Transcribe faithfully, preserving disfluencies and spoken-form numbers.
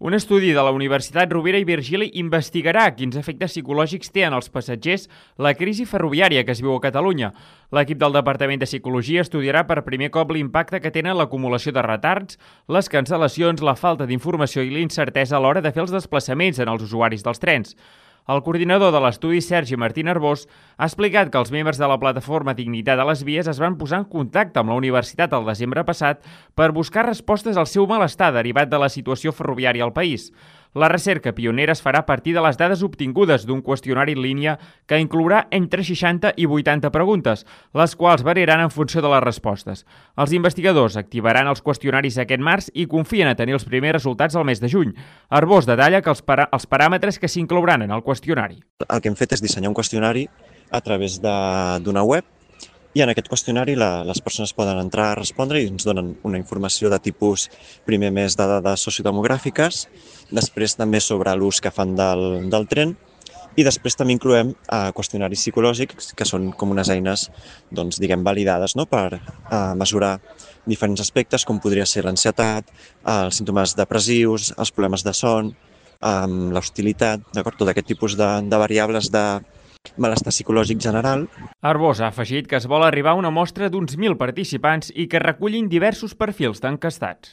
Un estudi de la Universitat Rovira i Virgili investigarà quins efectes psicològics té en els passatgers la crisi ferroviària que es viu a Catalunya. L'equip del Departament de Psicologia estudiarà per primer cop l'impacte que tenen l'acumulació de retards, les cancel·lacions, la falta d'informació i l'incertesa a l'hora de fer els desplaçaments en els usuaris dels trens. El coordinador de l'estudi, Sergi Martín Arbós, ha explicat que els membres de la plataforma Dignitat a les Vies es van posar en contacte amb la universitat el desembre passat per buscar respostes al seu malestar derivat de la situació ferroviària al país. La recerca pionera es farà a partir de les dades obtingudes d'un qüestionari en línia que inclourà entre seixanta i vuitanta preguntes, les quals variaran en funció de les respostes. Els investigadors activaran els qüestionaris aquest març i confien a tenir els primers resultats al mes de juny. Arbós detalla que els, para els paràmetres que s'inclouran en el qüestionari. El que hem fet és dissenyar un qüestionari a través d'una web i en aquest qüestionari la, les persones poden entrar a respondre i ens donen una informació de tipus, primer més de dades sociodemogràfiques, després també sobre l'ús que fan del, del tren i després també incloem eh, qüestionaris psicològics que són com unes eines doncs, diguem, validades, no? per eh, mesurar diferents aspectes com podria ser l'ansietat, eh, els símptomes depressius, els problemes de son, eh, l'hostilitat, d'acord? Tot aquest tipus de, de variables de malestar psicològic general. Arbós ha afegit que es vol arribar a una mostra d'uns mil participants i que recullin diversos perfils d'encastats.